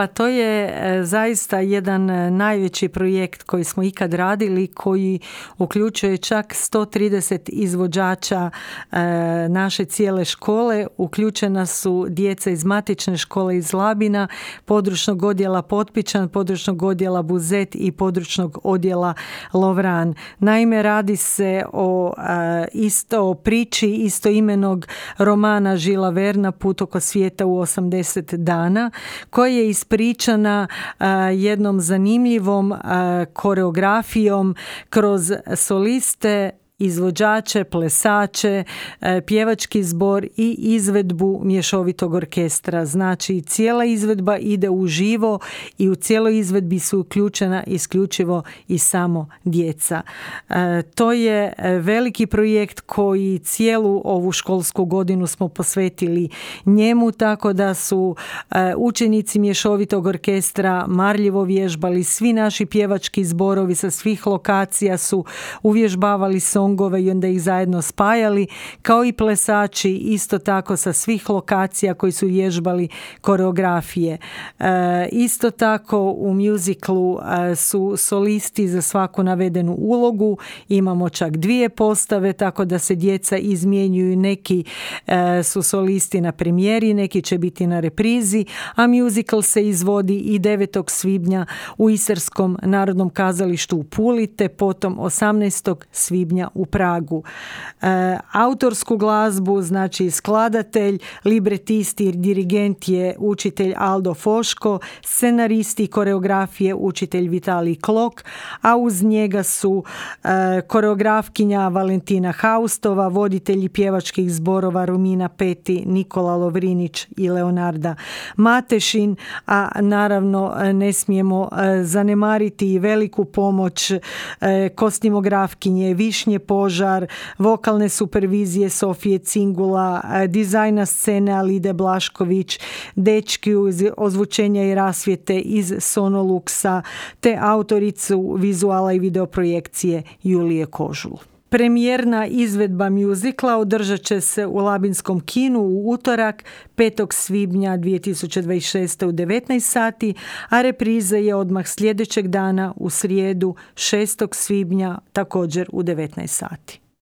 Pa to je zaista jedan najveći projekt koji smo ikad radili, koji uključuje čak 130 izvođača naše cijele škole. Uključena su djeca iz matične škole iz Labina, područnog odjela Potpičan, područnog odjela Buzet i područnog odjela Lovran. Naime, radi se o priči istoimenog romana Žila Verna Put oko svijeta u 80 dana, koja je ispričana jednom zanimljivom koreografijom kroz soliste, izvođače, plesače, pjevački zbor i izvedbu mješovitog orkestra. Znači, cijela izvedba ide uživo i u cijeloj izvedbi su uključena isključivo i samo djeca. To je veliki projekt koji cijelu ovu školsku godinu smo posvetili njemu, tako da su učenici mješovitog orkestra marljivo vježbali. Svi naši pjevački zborovi sa svih lokacija su uvježbavali songove i onda ih zajedno spajali, kao i plesači isto tako sa svih lokacija koji su vježbali koreografije. Isto tako u muziklu su solisti za svaku navedenu ulogu. Imamo čak 2 postave, tako da se djeca izmjenjuju. Neki su solisti na premijeri, neki će biti na reprizi, a muzikl se izvodi i 9. svibnja u Isarskom narodnom kazalištu u Puli, te potom 18. svibnja u Pragu. Autorsku glazbu, znači skladatelj, libretist i dirigent je učitelj Aldo Foško, scenaristi i koreografije učitelj Vitalij Klok, a uz njega su koreografkinja Valentina Haustova, voditelji pjevačkih zborova Romina Peti, Nikola Lovrinić i Leonarda Matešin, a naravno ne smijemo zanemariti i veliku pomoć kostimografkinje Višnje Požar, vokalne supervizije Sofije Cingula, dizajna scene Alide Blašković, dečki ozvučenja i rasvjete iz Sonoluxa, te autoricu vizuala i videoprojekcije Julije Kožul. Premijerna izvedba muzikla održat će se u Labinskom kinu u utorak 5. svibnja 2026. u 19 sati, a repriza je odmah sljedećeg dana u srijedu 6. svibnja također u 19 sati.